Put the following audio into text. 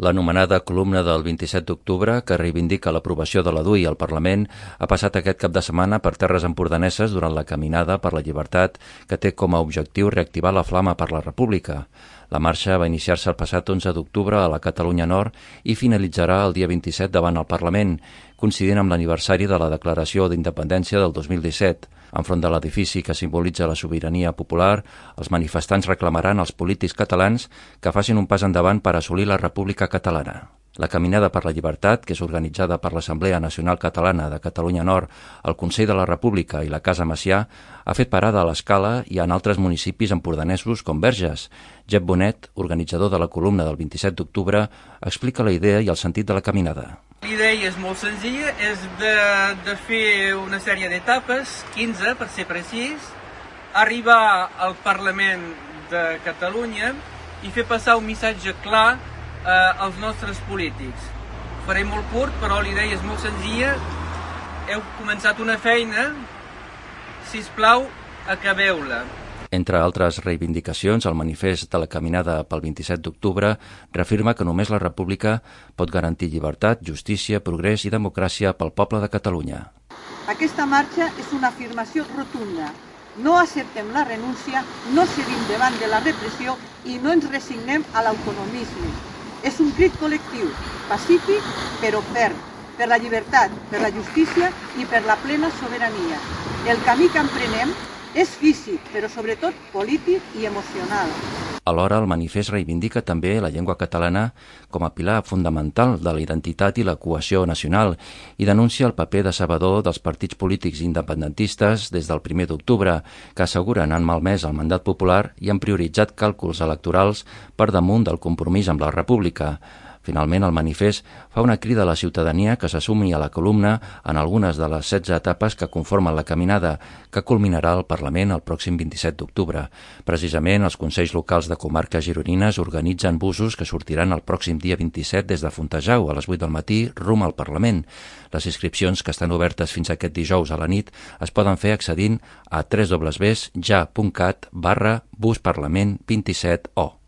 L'anomenada columna del 27 d'octubre, que reivindica l'aprovació de la DUI al Parlament, ha passat aquest cap de setmana per terres empordaneses durant la caminada per la llibertat que té com a objectiu reactivar la flama per la República. La marxa va iniciar-se el passat 11 d'octubre a la Catalunya Nord i finalitzarà el dia 27 davant el Parlament, coincidint amb l'aniversari de la Declaració d'Independència del 2017. Enfront de l'edifici que simbolitza la sobirania popular, els manifestants reclamaran als polítics catalans que facin un pas endavant per assolir la República Catalana. La Caminada per la Llibertat, que és organitzada per l'Assemblea Nacional Catalana de Catalunya Nord, el Consell de la República i la Casa Macià, ha fet parada a l'Escala i en altres municipis empordanesos com Verges. Jep Bonet, organitzador de la columna del 27 d'octubre, explica la idea i el sentit de la caminada. L'idea és molt senzilla, és de fer una sèrie d'etapes, 15 per ser precís, arribar al Parlament de Catalunya i fer passar un missatge clar als nostres polítics. Ho faré molt curt, però l'idea és molt senzilla. Heu començat una feina, sisplau, acabeu-la. Entre altres reivindicacions, el manifest de la caminada pel 27 d'octubre reafirma que només la República pot garantir llibertat, justícia, progrés i democràcia pel poble de Catalunya. Aquesta marxa és una afirmació rotunda. No acceptem la renúncia, no cedim davant de la repressió i no ens resignem a l'autonomisme. És un crit col·lectiu, pacífic però ferm, per la llibertat, per la justícia i per la plena sobirania. El camí que emprenem és físic, però sobretot polític i emocional. Alhora, el manifest reivindica també la llengua catalana com a pilar fundamental de la identitat i la cohesió nacional i denuncia el paper decebedor dels partits polítics independentistes des del 1 d'octubre, que asseguren han malmès el mandat popular i han prioritzat càlculs electorals per damunt del compromís amb la República. Finalment, el manifest fa una crida a la ciutadania que s'assumi a la columna en algunes de les 16 etapes que conformen la caminada, que culminarà al Parlament el pròxim 27 d'octubre. Precisament, els Consells Locals de Comarques Gironines organitzen busos que sortiran el pròxim dia 27 des de Fontejau a les 8 del matí rumb al Parlament. Les inscripcions, que estan obertes fins aquest dijous a la nit, es poden fer accedint a www.ja.cat/busparlament27o.